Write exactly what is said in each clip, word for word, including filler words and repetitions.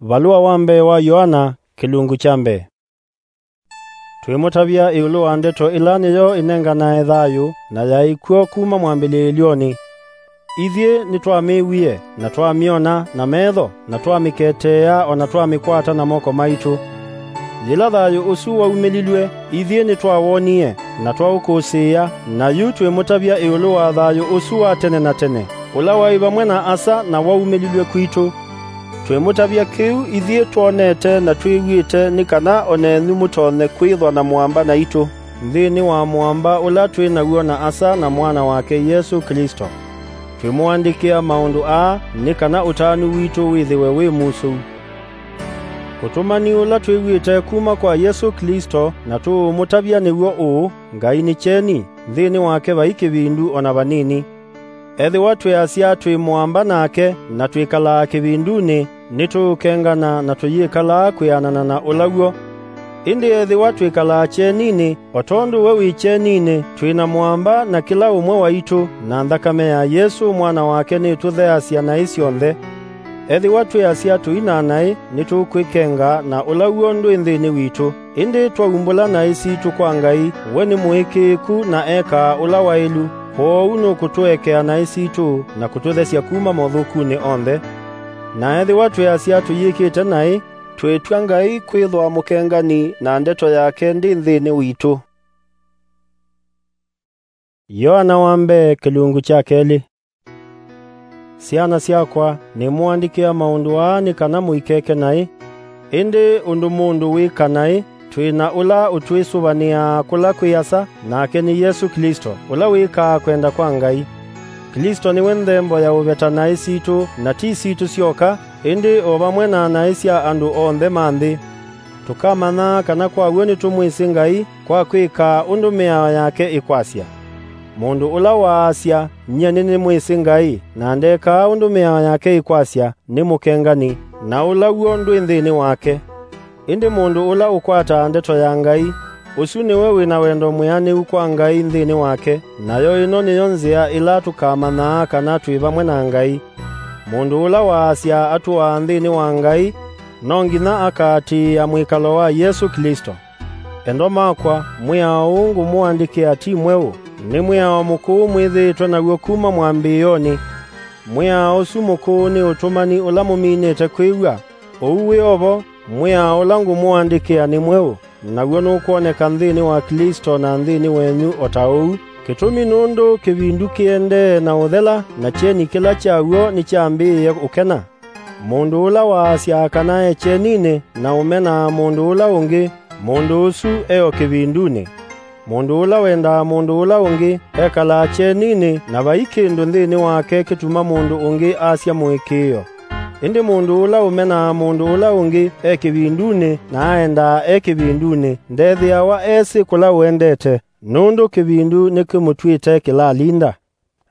Valũa wa mbee wa Yoana, kĩlungu kya mbee. Twĩmũtavya ĩũlũ wa ndeto ĩla nĩyo ĩnenganae thayũ, na yaĩ kw'o kuma mwambĩlĩĩlyonĩ. Ithyĩ nĩtwamĩw'ie, na twamyona na metho, na twamĩketeea, o na twamĩkwata na moko maitũ. Yĩla thayũ ũsu waumĩlilw'e, ithyĩ nĩtwawonie, na twaũkũsĩĩa, na yu twĩmũtavya ĩũlũ wa thayũ ũsu wa tene na tene, ũla waĩ vamwe na Asa na waumĩlilw'e kwitũ. Twĩmũtavya kĩu ithyĩ twonete na twĩw'ĩte, nĩ kana o nenyu mũtonye kwĩthwa na mũamba naitũ, nthĩnĩ wa mũamba ũla twĩ naw'o na Asa na Mwana wake Yesũ Klĩsto. Twĩmũandĩkĩa maũndũ aa nĩ kana ũtanu witũ wĩthĩwe wĩ musũu. Ũtũmani ũla twĩw'ĩte kuma kwa Yesũ Klĩsto na tũũmũtavya nĩw'o ũũ: Ngai nĩ kyeni, nthĩnĩ wake vai kĩvindu o na vanini. Ethĩwa twĩasya twĩ mũamba nake na twĩkalaa kĩvindunĩ, nĩtũũkengana na tũyĩkalaa kwĩanana na ũla w'o. Ĩndĩ ethĩwa twĩkalaa kyeninĩ, o tondũ we wĩ kyeninĩ, twĩ na mũamba na kĩla ũmwe waitũ, na nthakame ya Yesũ Mwana wake nĩtũtheasya naĩ syonthe. Ethĩwa twĩasya tũi na naĩ, nĩtũkwĩkenga na ũla w'o ndwĩ nthĩnĩ witũ. Ĩndĩ twaumbũla naĩ sitũ kwa Ngai, we nĩ mũĩkĩĩku na ekaa ũla waĩlu, kwoou nũkũtũekea naĩ sitũ na kũtũthesya kuma mothũkunĩ onthe. Na ethĩwa twĩasya tũyĩkĩte naĩ, twĩtw'a Ngai kwĩthwa mũkengani, na ndeto yake ndĩ nthĩnĩ witũ. Yoana wa mbee, kĩlungu kya kelĩ. Syana syakwa, nĩmũandĩkĩa maũndũ aa nĩ kana mũikeke naĩ. Ĩndĩ ũndũ mũndũ wĩka naĩ, twĩ na ũla ũtwĩsũvanĩaa kũla kwĩ Asa, nake nĩ Yesũ Klĩsto, ũla wĩkaa kwenda kwa Ngai. Klĩsto nĩwe nthembo ya ũveta naĩ sitũ, na ti sitũ syoka, ĩndĩ o vamwe na naĩ sya andũ onthe ma nthĩ. Tũkamanyaa kana kwa w'o nĩtũmwĩsĩ Ngai kwa kwĩkaa ũndũ mĩao yake ĩkwasya. Mũndũ ũla waasya, "Nyie nĩnĩmwĩsĩ Ngai," na ndekaa ũndũ mĩao yake ĩkwasya, nĩ mũkengani, na ũla w'o ndwĩ nthĩnĩ wake. Ĩndĩ mũndũ ũla ũkwataa ndeto ya Ngai, ũsu nĩwe wĩ na wendo mwĩanĩu kwa Ngai nthĩnĩ wake, nayo ĩno nĩyo nzĩa ĩla tũkamanyaa kana twĩ vamwe na Ngai. Mũndũ ũla waasya atũaa nthĩnĩ wa Ngai, no nginya akaatĩĩa mwĩkalo wa Yesũ Klĩsto. Endwa makwa, mwĩao ũũ ngũmũandĩkĩa ti mweũ, nĩ mwĩao mũkũũ mwĩthĩĩtwe naw'o kuma mwambĩĩonĩ. Mwĩao ũsu mũkũũ nĩ ũtũmani ũla mũminĩte kwĩw'a. Ũu wĩ o vo, mwĩao ũla ngũmũandĩkĩa nĩ mweũ, naw'o nũkwoneka nthĩnĩ wa Klĩsto na nthĩnĩ wenyu o ta ũu. Kĩtumi nũndũ kĩvindu kĩendee na ũthela, na kyeni kĩla kyaw'o nĩkyambĩĩe ũkena. Mũndũ ũla waasya kana e kyeninĩ na ũmenaa mũndũ ũla ũngĩ, mũndũ ũsu e o kĩvindunĩ. Mũndũ ũla wendaa mũndũ ũla ũngĩ ekalaa kyeninĩ, na vai kĩndũ nthĩnĩ wake kĩtuma mũndũ ũngĩ asya mũĩkĩĩo. Ĩndĩ mũndũ ũla ũmenaa mũndũ ũla ũngĩ e kĩvindunĩ na aendaa e kĩvindunĩ, ndethĩawa esĩ kũla ũendete, nũndũ kĩvindu nĩkĩmũtw'ĩte kĩlalinda.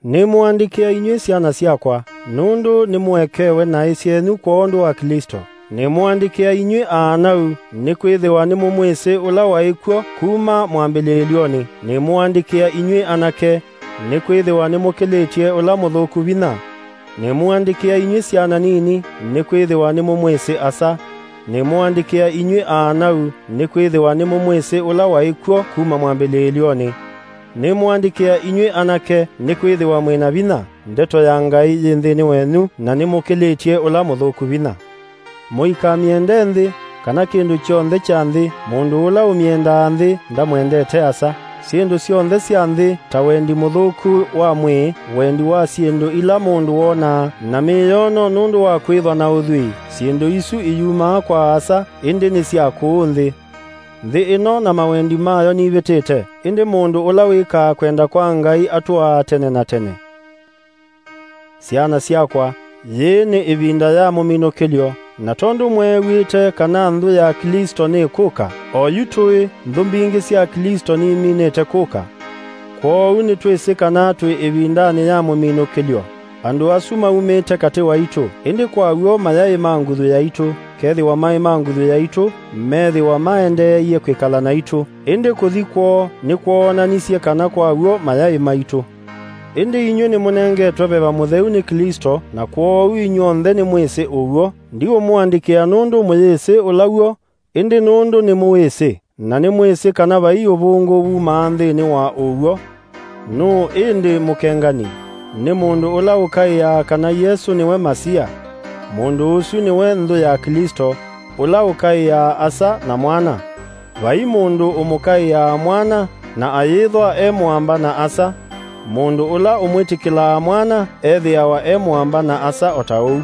Nĩmũandĩkĩa inyw'ĩ syana syakwa, nũndũ nĩmũekewe naĩ syenyu kwondũ wa Klĩsto. Nĩmũandĩkĩa inyw'ĩ aanau, nĩkwĩthĩwa nĩmũmwĩsĩ ũla waĩ kw'o kuma mwambĩlĩĩlyonĩ. Nĩmũandĩkĩa inyw'ĩ anake, nĩkwĩthĩwa nĩmũkĩlĩtye ũla mũthũku vinya. Nĩmũandĩkĩa inyw'ĩ syana nini, nĩkwĩthĩwa nĩmũmwĩsĩ Asa. Nĩmũandĩkĩa inyw'ĩ aanau, nĩkwĩthĩwa nĩmũmwĩsĩ ũla waĩ kw'o kuma mwambĩlĩĩlyonĩ. Nĩmũandĩkĩa inyw'ĩ anake, nĩkwĩthĩwa mwĩ na vinya, ndeto ya Ngai yĩ nthĩnĩ wenyu, na nĩmũkĩlĩtye ũla mũthũku vinya. Mũikamyende nthĩ, kana kĩndũ kyonthe kya nthĩ. Mũndũ ũla ũmyendaa nthĩ ndamwendete Asa. Syĩndũ syonthe sya nthĩ, ta wendi mũthũku wa mwĩĩ, wendi wa syĩndũ ila mũndũ wonaa, na mĩyoono nũndũ wa kwĩthwa na ũthwii, syĩndũ isu iyumaa kwa Asa, ĩndĩ nĩ sya kũũ nthĩ. Nthĩ ĩno na mawendi mayo nivĩtĩte, ĩndĩ mũndũ ũla wĩkaa kwenda kwa Ngai atũaa tene na tene. Syana syakwa, yĩĩ nĩ ĩvinda ya mũminũkĩlyo, na tondũ mweew'ĩte kana nthũ ya Klĩsto nĩkũka, o yu tũĩ, nthũ mbingĩ sya Klĩsto niminĩte kũka. Kwoou nĩtwĩsĩ kana twĩ ĩvindanĩ ya mũminũkĩlyo. Andũ asu maumĩte katĩ waitũ, ĩndĩ kwa w'o mayaĩ ma nguthu yaitũ. Kethĩwa maĩ ma nguthu yaitũ, meethĩwa maendeeie kwĩkala naitũ. Ĩndĩ kũthi kwoo nĩkwoonanisye kana kwa w'o mayaĩ maitũ. Ĩndĩ inyw'ĩ nĩmũnengetwe Veva Mũtheu nĩ Klĩsto, na kwoou inyw'onthe nĩmwĩsĩ ũw'o. Ndiũmũandĩkĩa nũndũ mũyĩsĩ ũla w'o, ĩndĩ nũndũ nĩmũwĩsĩ, na nĩmwĩsĩ kana vai ũvũngũ wumaa nthĩnĩ wa ũw'o. Nũũ ĩndĩ mũkengani? Nĩ mũndũ ũla ũkaĩaa kana Yesũ nĩwe Masia. Mũndũ ũsu nĩwe nthũ ya Klĩsto, ũla ũkaĩaa Asa na Mwana. Vai mũndũ ũmũkaĩaa Mwana na ayĩthwa e mũamba na Asa. Mũndũ ũla ũmwĩtĩkĩlaa Mwana ethĩawa e mũamba na Asa o ta ũu.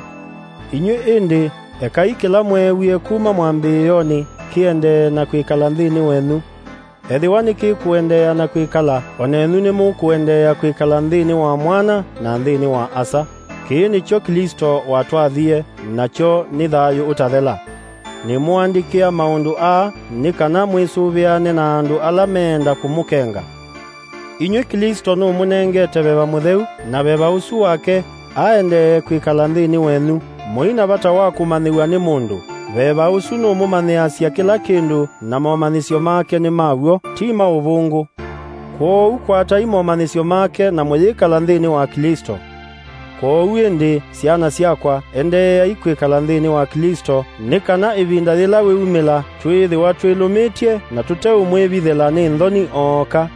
Inyw'ĩ ĩndĩ, ekai kĩla mweewie kuma mwambĩĩonĩ kĩendee na kwĩkala nthĩnĩ wenyu. Ethĩwa nĩkĩkũendeea na kwĩkala, o nenyu nĩmũkũendeea kwĩkala nthĩnĩ wa Mwana na nthĩnĩ wa Asa. Kĩĩ nĩkyo Klĩsto watwathie, nakyo nĩ thayũ ũtathela. Nĩmũandĩkĩa maũndũ aa nĩ kana mwĩsũvĩane na andũ ala meenda kũmũkenga. Inyw'ĩ Klĩsto nũmũnengete Veva Mũtheu, na Veva ũsu wake aendee kwĩkala nthĩnĩ wenyu. Mũi na vata wa kũmanyĩw'a nĩ mũndũ. Veva ũsu nũmũmanyĩasya kĩla kĩndũ, na momanyĩsyo make nĩ ma w'o, ti ma ũvũngũ. Kwoou kwatai momanyĩsyo make na mũyĩkala nthĩnĩ wa Klĩsto. Kwoou ĩndĩ, syana syakwa, endeeai kwĩkala nthĩnĩ wa Klĩsto, nĩ kana ĩvinda yĩla wĩumĩla twĩĩthĩwa twĩlũmĩtye na tũteũmwĩvithĩla nĩ nthoni ooka.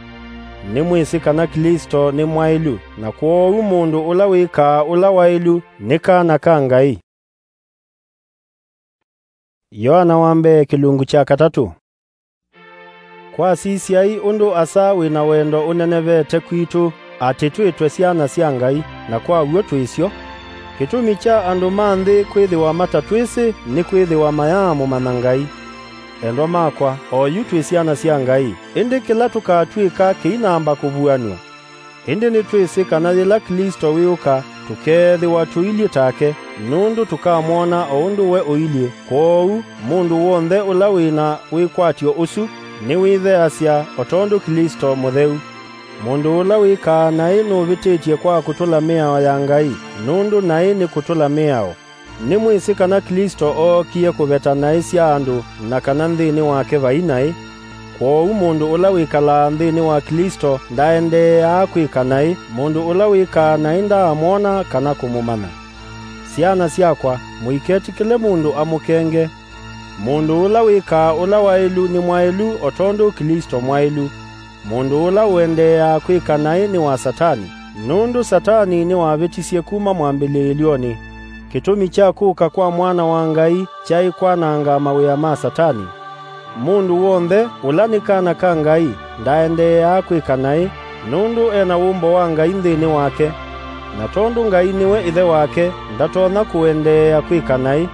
Nĩmwĩsĩ kana Klĩsto nĩ mwaĩlu, na kwoou mũndũ ũla wĩkaa ũla waĩlu nĩ kana ka Ngai. Yoana wa mbee kĩlungu kya katatũ. Kwa sisyai ũndũ Asa wĩ na wendo ũnenevete kwitũ, atĩ twĩtwe syana sya Ngai, na kwa w'o twĩ syo. Kĩtumi kya andũ ma nthĩ kwĩthĩwa matatwĩsĩ nĩkwĩthĩwa mayaamũmanya Ngai. Endwa makwa, oyu twĩ syana sya Ngai, ĩndĩ kĩla tũkatw'ĩka kĩinamba kũvuanw'a. Ĩndĩ nĩtwĩsĩ kana yĩla Klĩsto wĩũka, tũkeethĩwa tũilyĩ take, nũndũ tũkamwona o ũndũ we ũilyĩ. Kwoou, mũndũ w'onthe ũla wĩ na wĩkwatyo ũsu nĩwĩtheasya o tondũ Klĩsto mũtheu. Mũndũ ũla wĩkaa naĩ nũvĩtĩtye kwa kũtũla mĩao ya Ngai, nũndũ naĩ nĩ kũtũla mĩao. Nĩmwĩsĩ kana Klĩsto ookie kũveta naĩ sya andũ, na kana nthĩnĩ wake vai naĩ. Kwoou mũndũ ũla wĩkalaa nthĩnĩ wa Klĩsto ndaendeeaa kwĩka naĩ, mũndũ ũla wĩkaa naĩ ndaamwona kana kũmũmanya. Syana syakwa, mũiketĩkĩle mũndũ amũkenge. Mũndũ ũla wĩkaa ũla waĩlu nĩ mwaĩlu o tondũ Klĩsto mwaĩlu. Mũndũ ũla ũendeeaa kwĩka naĩ nĩ wa Satani, nũndũ Satani nĩwavĩtisye kuma mwambĩlĩĩlyonĩ. Kĩtumi kya kũka kwa Mwana wa Ngai kyaĩ kwananga mawĩa ma Satani. Mũndũ w'onthe ũla nĩ kana ka Ngai ndaendeeaa kwĩka naĩ, nũndũ e na wũmbo wa Ngai nthĩnĩ wake. Na tondũ Ngai nĩwe Ĩthe wake, ndatonya kũendeea kwĩka naĩ.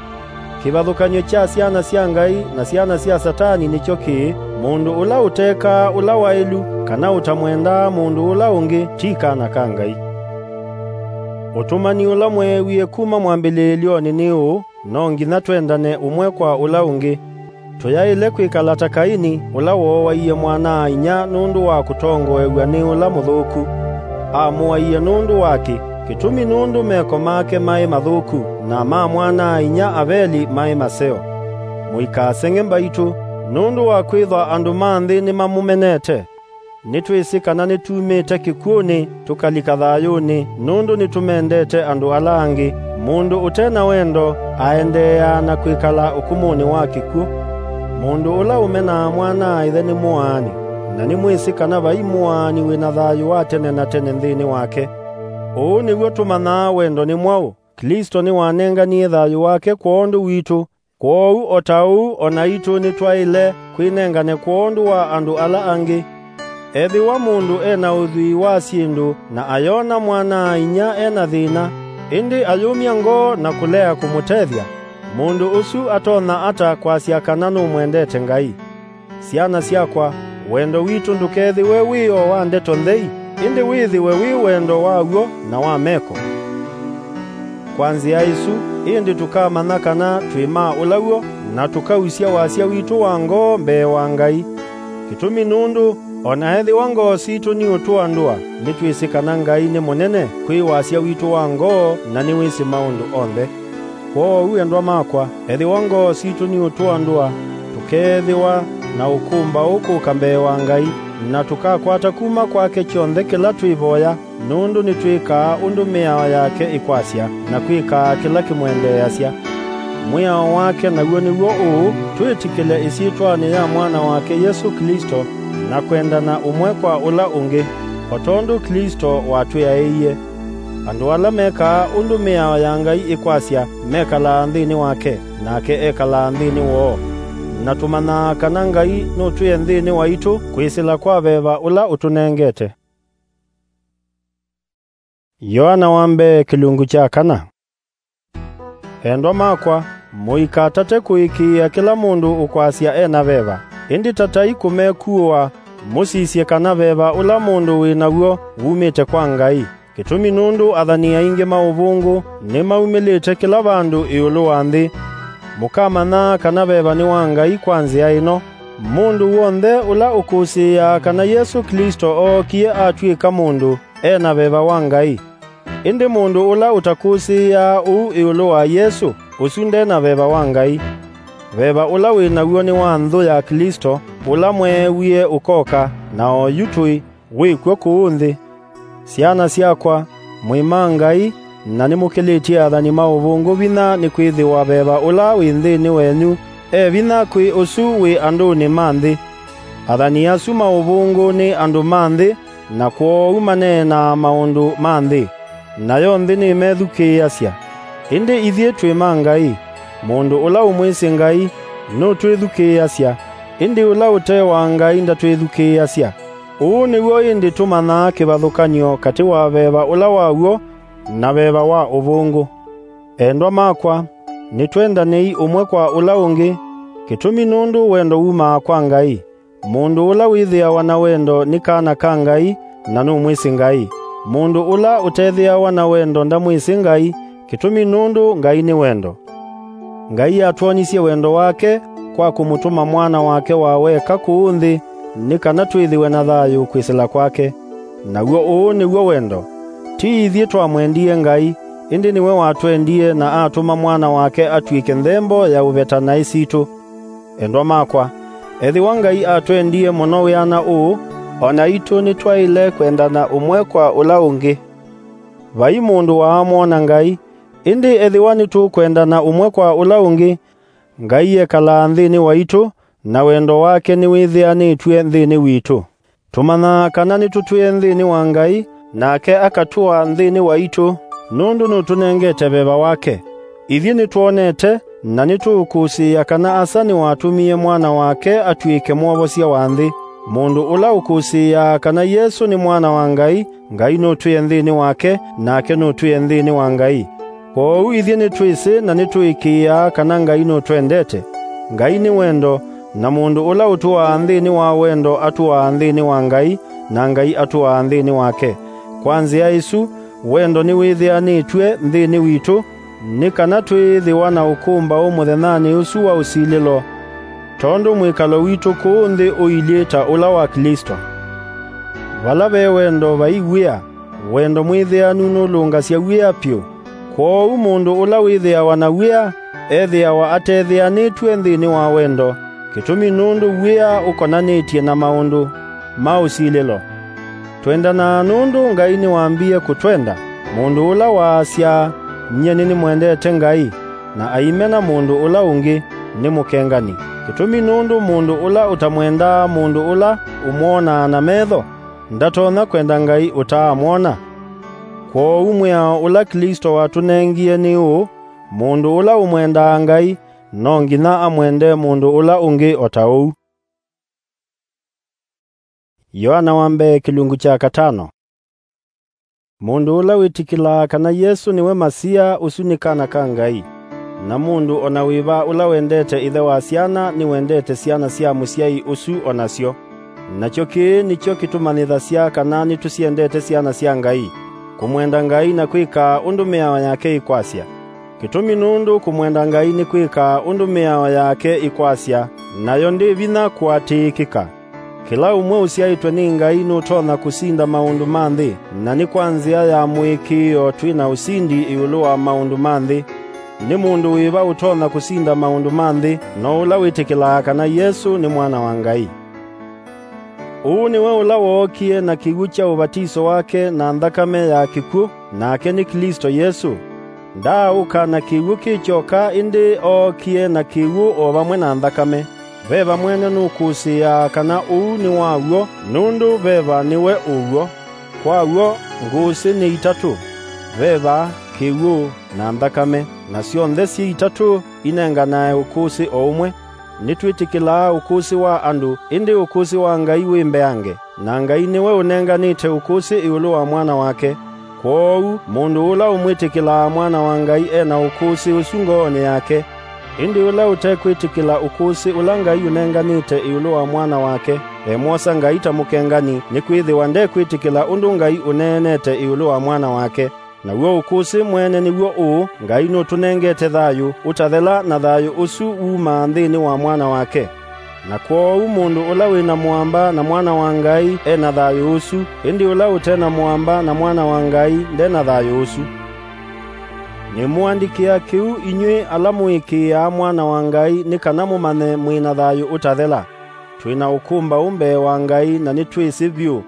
Kĩvathũkany'o kya syana sya Ngai na syana sya Satani nĩkyo kĩĩ: mũndũ ũla ũtekaa ũla waĩlu, kana ũtamwendaa mũndũ ũla ũngĩ, ti kana ka Ngai. Ũtũmani ũla mweewie kuma mwambĩlĩĩlyonĩ nĩ ũũ: no nginya twendane ũmwe kwa ũla ũngĩ. Tũyaĩle kwĩkala ta Kaini, ũla wooaie mwana-a-inyia nũndũ wa kũtongoew'a nĩ ũla mũthũku. Amũaie nũndũ wakĩ? Kĩtumi nũndũ meko make maĩ mathũku, na ma mwana-a-inyia Aveli maĩ maseo. Mũikaseng'e mbaitũ, nũndũ wa kwĩthwa andũ ma nthĩ nĩmamũmenete. Nĩtwĩsĩ kana nĩtumĩte kĩkw'ũnĩ tũkalika thayũnĩ, nũndũ nĩtũmendete andũ ala angĩ. Mũndũ ũte na wendo aendeeaa na kwĩkala ũkũmũnĩ wa kĩkw'ũ. Mũndũ ũla ũmenaa mwana-a-ĩthe nĩ mũaani, na nĩmwĩsĩ kana vai mũaani wĩ na thayũ wa tene na tene nthĩnĩ wake. Ũũ nĩw'o tũmanyaa wendo nĩ mwaũ: Klĩsto nĩwanenganie thayũ wake kwondũ witũ. Kwoou o ta ũu o naitũ nĩtwaĩle kwĩnengane kwondũ wa andũ ala angĩ. Ethĩwa mũndũ e na ũthwii wa syĩndũ na ayona mwana-a-inyia e na thĩna, ĩndĩ ayũmya ngoo na kũlea kũmũtethya, mũndũ ũsu atonya ata kwasya kana nũmwendete Ngai? Syana syakwa, wendo witũ ndũkethĩwe wĩ o wa ndeto nthei, ĩndĩ wĩthĩwe wĩ wendo wa w'o na wa meko. Kwa nzĩa ĩsu ĩndĩ tũkamanya kana twĩ ma ũla w'o, na tũkausya wasya witũ wa ngoo mbee wa Ngai. Kĩtumi nũndũ, o na ethĩwa ngoo sitũ niũtũa ndũa, nĩtwĩsĩ kana Ngai nĩ mũnene kwĩ wasya witũ wa ngoo, na nĩwĩsĩ maũndũ onthe. Kwoou, endwa makwa, ethĩwa ngoo sitũ niũtũa ndũa, tũkeethĩwa na ũkũmbaũ kũka mbee wa Ngai, na tũkakwata kuma kwake kyonthe kĩla twĩvoya. nũndũ nĩtwĩkaa ũndũ mĩao yake ĩkwasya, na kwĩkaa kĩla kĩmwendeeasya. Mwĩao wake naw'o nĩw'o ũũ: twĩtĩkĩle ĩsyĩtwanĩ ya Mwana wake Yesũ Klĩsto, na kwendana ũmwe kwa ũla ũngĩ, o tondũ Klĩsto watwĩaĩie. Andũ ala mekaa ũndũ mĩao ya Ngai ĩkwasya mekalaa nthĩnĩ wake, nake ekalaa nthĩnĩ woo. Na tũmanyaa kana Ngai nũtwĩe nthĩnĩ waitũ kwĩsĩla kwa veva ũla ũtũnengete. Yoana wa mbee kĩlungu kya kana. Endwa makwa, mũikatate kũĩkĩĩa kĩla mũndũ ũkwasya e na veva, ĩndĩ tatai kũmekuũa, mũsisye kana veva ũla mũndũ wĩ naw'o wumĩte kwa Ngai. Kĩtumi nũndũ athani aingĩ ma ũvũngũ nĩmaumĩlĩte kĩla vandũ ĩũlũ wa nthĩ. Mũkamanyaa kana veva nĩ wa Ngai kwa nzĩa ĩno: mũndũ w'onthe ũla ũkũsĩĩaa kana Yesũ Klĩsto ookie atw'ĩka mũndũ, e na veva wa Ngai. Ĩndĩ mũndũ ũla ũtakũsĩĩaa ũu ĩũlũ wa Yesũ, ũsu nde na veva wa Ngai. Veva ũla wĩ naw'o nĩ wa nthũ ya Klĩsto, ũla mweewie ũkoka, na oyu tũĩ, wĩ kw'o kũũ nthĩ. Syana syakwa, mwĩ ma Ngai, na nĩmũkĩlĩtye athani ma ũvũngũ vinya, nĩkwĩthĩwa veva ũla wĩ nthĩnĩ wenyu e vinya kwĩ ũsu wĩ andũnĩ ma nthĩ. Athani asu ma ũvũngũ nĩ andũ ma nthĩ, na kwoou maneenaa maũndũ ma nthĩ, nayo nthĩ nĩmethukĩĩasya. Ĩndĩ ithyĩ twĩ ma Ngai. Mũndũ ũla ũmwĩsĩ Ngai nũtwĩthukĩĩasya, ĩndĩ ũla ũte wa Ngai ndatwĩthukĩĩasya. Ũũ nĩw'o ĩndĩ tũmanyaa kĩvathũkany'o katĩ wa veva ũla wa w'o na veva wa ũvũngũ. Endwa makwa, nĩtwendanei ũmwe kwa ũla ũngĩ, kĩtumi nũndũ wendo wumaa kwa Ngai. Mũndũ ũla wĩthĩawa na wendo nĩ kana ka Ngai, na nũmwĩsĩ Ngai. Mũndũ ũla ũtethĩawa na wendo ndamwĩsĩ Ngai, kĩtumi nũndũ Ngai nĩ wendo. Ngai atwonisye wendo wake kwa kũmũtũma Mwana wake wa weka kũũ nthĩ, nĩ kana twĩthĩwe na thayũ kwĩsĩla kwake. Naw'o ũũ nĩw'o wendo: ti ithyĩ twamwendie Ngai, ĩndĩ nĩwe watwendie na atũma Mwana wake atw'ĩke nthembo ya ũveta naĩ sitũ. Endwa makwa, ethĩwa Ngai atwendie mũno wĩana ũũ, o naitũ nĩtwaĩle kwendana ũmwe kwa ũla ũngĩ. Vai mũndũ waamwona Ngai, ĩndĩ ethĩwa nĩtũkwendana ũmwe kwa ũla ũngĩ, Ngai ekalaa nthĩnĩ waitũ, na wendo wake nĩwĩthĩanĩtw'e nthĩnĩ witũ. Tũmanyaa kana nĩtũtwĩe nthĩnĩ wa Ngai, nake akatũa nthĩnĩ waitũ, nũndũ nũtũnengete veva wake. Ithyĩ nĩtwonete, na nĩtũũkũsĩĩa kana Asa nĩwatũmie Mwana wake atw'ĩke Mwovosya wa nthĩ. Mũndũ ũla ũkũsĩĩaa kana Yesũ nĩ Mwana wa Ngai, Ngai nũtwĩe nthĩnĩ wake, nake nũtwĩe nthĩnĩ wa Ngai. Kwoou ithyĩ nĩtwĩsĩ na nĩtũĩkĩĩaa kana Ngai nũtwendete. Ngai nĩ wendo, na mũndũ ũla ũtũaa nthĩnĩ wa wendo atũaa nthĩnĩ wa Ngai, na Ngai atũaa nthĩnĩ wake. Kwa nzĩa ĩsu, wendo nĩwĩthĩanĩtw'e nthĩnĩ witũ, nĩ kana twĩĩthĩwa na ũkũmbaũ mũthenyanĩ ũsu wa ũsilĩlo, tondũ mwĩkalo witũ kũũ nthĩ ũilyĩ ta ũla wa Klĩsto. Vala ve wendo vai wia, wendo mwĩthĩanu nũlũngasya wia vyũ. Kwoou mũndũ ũla wĩthĩawa na wia ethĩawa atethĩanĩtw'e nthĩnĩ wa wendo, kĩtumi nũndũ wia ũkonanĩtye na maũndũ ma ũsilĩlo. Twendanaa nũndũ Ngai nĩwambie kũtwenda. Mũndũ ũla waasya, "Nyie nĩnĩmwendete Ngai," na aimena mũndũ ũla ũngĩ, nĩ mũkengani. Kĩtumi nũndũ mũndũ ũla ũtamwendaa mũndũ ũla ũmwonaa na metho, ndatonya kwenda Ngai ũtaamwona. Kwoou mwĩao ũla Klĩsto watũnengie nĩ ũũ: mũndũ ũla ũmwendaa Ngai, no nginya amwende mũndũ ũla ũngĩ o ta ũu. Yoana wa mbee kĩlungu kya katano. Mũndũ ũla wĩtĩkĩlaa kana Yesũ nĩwe Masia, ũsu nĩ kana ka Ngai. Na mũndũ o na wĩva ũla wendete ĩthe wa syana nĩwendete syana sya mũsyai ũsu o nasyo. Nakyo kĩĩ nĩkyo kĩtũmanyĩthasya kana nĩtũsyendete syana sya Ngai, kũmwenda Ngai na kwĩkaa ũndũ mĩao yake ĩkwasya. Kĩtumi nũndũ kũmwenda Ngai nĩ kwĩkaa ũndũ mĩao yake ĩkwasya, nayo ndĩ vinya kũatĩĩkĩka. Kĩla ũmwe ũsyaĩtwe nĩ Ngai nũtonya kũsinda maũndũ ma nthĩ, na nĩ kwa nzĩa ya mũĩkĩĩo twĩ na ũsindi ĩũlũ wa maũndũ ma nthĩ. Nĩ mũndũ wĩva ũtonya kũsinda maũndũ ma nthĩ? No ũla wĩtĩkĩlaa kana Yesũ nĩ Mwana wa Ngai. Ũũ nĩwe ũla wookie na kĩw'ũ kya ũvatiso wake na nthakame ya kĩkw'ũ, nake nĩ Klĩsto Yesũ. Ndaaũka na kĩw'ũ kĩ kyoka, ĩndĩ ookie na kĩw'ũ o vamwe na nthakame. Veva mwene nũkũsĩĩaa kana ũu nĩ wa w'o, nũndũ veva nĩwe ũw'o. Kwa w'o, ngũsĩ nĩ itatũ: veva, kĩw'ũ, na nthakame, na syonthe syĩ itatũ inenganae ũkũsĩ o ũmwe. Nĩtwĩtĩkĩlaa ũkũsĩ wa andũ, ĩndĩ ũkũsĩ wa Ngai wĩ mbeange, na Ngai nĩwe ũnenganĩte ũkũsĩ ĩũlũ wa Mwana wake. Kwoou mũndũ ũla ũmwĩtĩkĩlaa Mwana wa Ngai e na ũkũsĩ ũsu ngoonĩ yake. Ĩndĩ ũla ũtekwĩtĩkĩla ũkũsĩ ũla Ngai ũnenganĩte ĩũlũ wa Mwana wake, emwosa Ngai ta mũkengani, nĩkwĩthĩwa ndekwĩtĩkĩla ũndũ Ngai ũneenete ĩũlũ wa Mwana wake. Naw'o ũkũsĩ mwene nĩw'o ũũ: Ngai nũtũnengete thayũ ũtathela, na thayũ ũsu wumaa nthĩnĩ wa Mwana wake. Na kwoou mũndũ ũla wĩ na mũamba na Mwana wa Ngai e na thayũ ũsu, ĩndĩ ũla ũte na mũamba na Mwana wa Ngai nde na thayũ ũsu. Nĩmũandĩkĩa kĩu inyw'ĩ ala mũĩkĩĩaa Mwana wa Ngai, nĩ kana mũmanye mwĩ na thayũ ũtathela. Twĩ na ũkũmbaũ mbee wa Ngai, na nĩtwĩsĩ vyũ.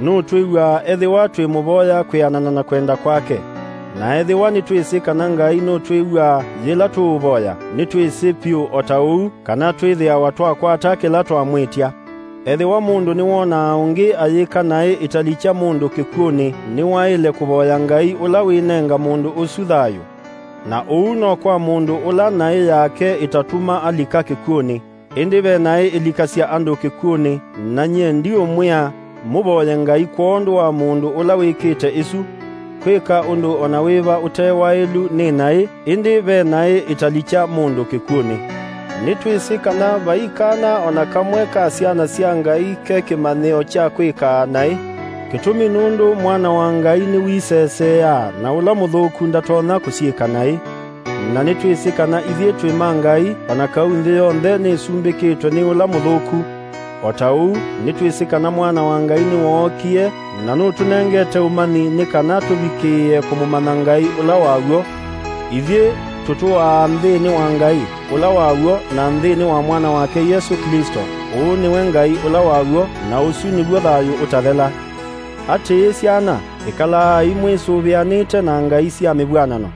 Nũtwĩw'aa ethĩwa twĩmũvoya kwĩanana na kwenda kwake. Na ethĩwa nĩtwĩsĩ kana Ngai nũtwĩw'aa yĩla tũũvoya, nĩtwĩsĩ vyũ o ta ũu kana twĩthĩawa twakwata kĩla twamwĩtya. Ethĩwa mũndũ nĩwonaa ũngĩ ayĩka naĩ ĩtalikya mũndũ kĩkw'ũnĩ, nĩwaĩle kũvoya Ngai ũla wĩnenga mũndũ ũsu thayũ. Na ũu no kwa mũndũ ũla naĩ yake ĩtatuma alika kĩkw'ũnĩ. Ĩndĩ ve naĩ ĩlikasya andũ kĩkw'ũnĩ, na nyie ndiũmwĩa mũvoye Ngai kwondũ wa mũndũ ũla wĩkĩte ĩsu. Kwĩka ũndũ o na wĩva ũte waĩlu nĩ naĩ, ĩndĩ ve naĩ ĩtalikya mũndũ kĩkw'ũnĩ. Nĩtwĩsĩ kana vai kana o na kamwe ka syana sya Ngai ke kĩmanyĩo kya kwĩkaa naĩ. Kĩtumi nũndũ Mwana wa Ngai nĩwiseseeaa, na ũla mũthũku ndatonya kũsyĩka naĩ. Na nĩtwĩsĩ kana ithyĩ twĩ ma Ngai, o na kau nthĩ yonthe nĩsumbĩkĩtwe nĩ ũla mũthũku. O ta ũu, nĩtwĩsĩ kana Mwana wa Ngai nĩwookie, na nũtũnengete ũmanyi nĩ kana tũvikĩĩe kũmũmanya Ngai ũla wa w'o. Ithyĩ tũtũaa nthĩnĩ wa Ngai ũla wa w'o na nthĩnĩ wa Mwana wake Yesũ Klĩsto. Ũũ nĩwe Ngai ũla wa w'o, na ũsu nĩw'o thayũ ũtathela. Atĩĩ syana, ĩkalaai mwĩsũvĩanĩte na ngai sya mĩvw'anano.